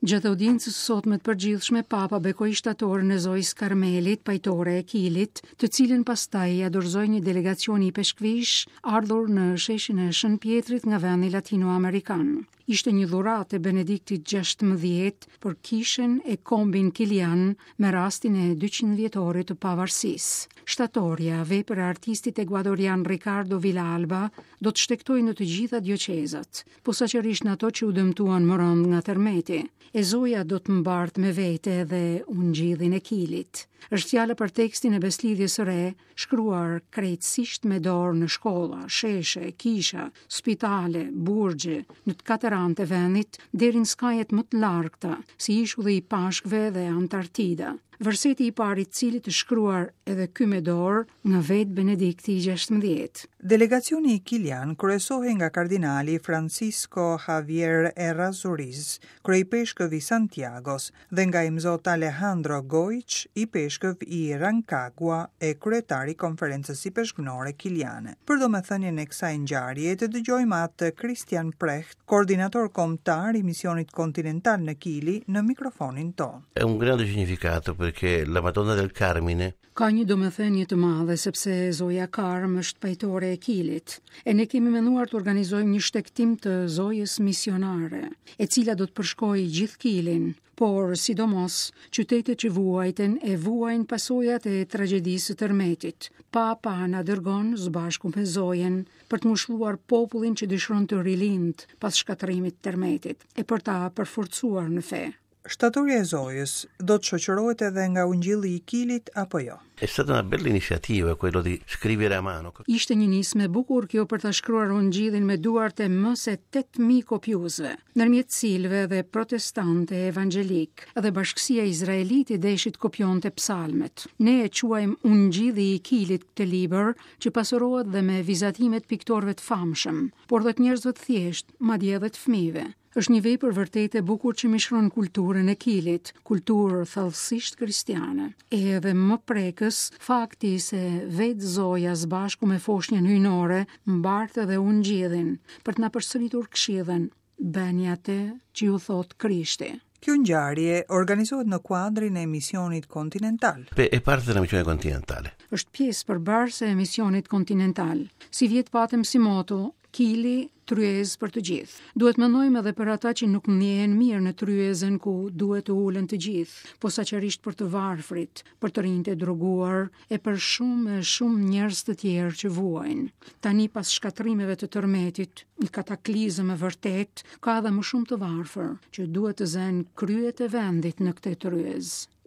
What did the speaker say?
Gjatë audiencës së sotme të përgjithshme, Papa bekoi shtatoren e Zojës Karmelit, pajtore e Kilit, të cilën pastaj ia dorëzoi një delegacioni ipeshkvish ardhur në sheshin e Shën Pjetrit nga vendi latino-amerikan. Ishte një dhuratë e Benediktit 16 për kishën e kombin kilian me rastin e 200 vjetorit të pavarësisë. Shtatorja, vepër e artistit ekuadorian Ricardo Villalba, do të shtegtojë në të gjitha dioqezat, posaçërisht në ato që u dëmtuan më rëndë nga tërmeti. E Zoja do të mbartë me vete edhe ungjillin e Kilit. Është fjala për tekstin e Besëlidhjes së Re, shkruar krejtësisht me dorë në shkolla, sheshe, kisha, spitale, burgje, në të katër anët e vendit, deri në skajet më të largëta, si ishulli i Pashkëve dhe Antarktida. Verseti i parë i të cilit është shkruar edhe ky me dorë nga vetë Benedikti i 16. Delegacioni kilian kryesohej nga kardinali Francisco Javier Errázuriz, kryeipeshkëv i Santiagos, dhe nga Imzot Alejandro Goic, ipeshkëv i Rancagua e kryetar i Konferencës Ipeshkvnore Kiliane. Për domethënien e kësaj ngjarjeje të dëgjojmë atë Christian Precht, koordinator kombëtar i Misionit Kontinental në Kili, në mikrofonin tonë. È un grande significato perché la Madonna del Carmine Ka një domethënie të madhe sepse Zoja Karm është pajtore e Kilit, e ne kemi menduar të organizojmë një shtegtim të Zojës misionare, e cila do të përshkojë gjithë Kilin, por sidomos qytetet që vuajtën e vuajnë pasojat e tragjedisë së tërmetit. Papa na dërgon së bashku me Zojën për të ngushëlluar popullin që dëshiron të rilindë pas shkatërrimit të tërmetit e për ta përforcuar në fe. Shtatorja e Zojës do të shoqërohet edhe nga Ungjilli i Kilit apo jo? È stata una bella iniziativa quello di scrivere a mano. Ishte një nismë e bukur kjo për ta shkruar Ungjillin me duart e më se 8000 kopjuesve, ndërmjet cilëve edhe protestantë e evangjelikë, edhe bashkësia izraelite deshi të kopjonte psalmet. Ne e quajmë Ungjilli i Kilit këtë libër që pasurohet dhe me vizatime të piktorëve të famshëm, por dhe të njerëzve të thjeshtë, madje edhe të fëmijëve. Është një vepër vërtet e bukur që mishëron kulturën e Kilit, kulturë thellësisht kristiane. E edhe më prekës, fakti se vetë Zoja së bashku me foshnjën hyjnore mbart edhe ungjillin për të na përsëritur këshillën, bëni atë që ju thotë Krishti. Kjo ngjarje organizohet në kuadrin e misionit kontinental. È parte della missione continentale. Është pjesë përbërëse e misionit kontinental. Sivjet patëm si moto Kili, tryezë për të gjithë. Duhet mendojmë edhe për ata që nuk ndjehen mirë në tryezën ku duhet të ulen të gjithë, posaçërisht për të varfrit, për të rinjtë e droguar e për shumë e shumë njerëz të tjerë që vuajnë. Tani pas shkatërrimeve të tërmetit, një kataklizëm e vërtetë, ka edhe më shumë të varfër që duhet të zënë kryet e vendit në këtë tryezë.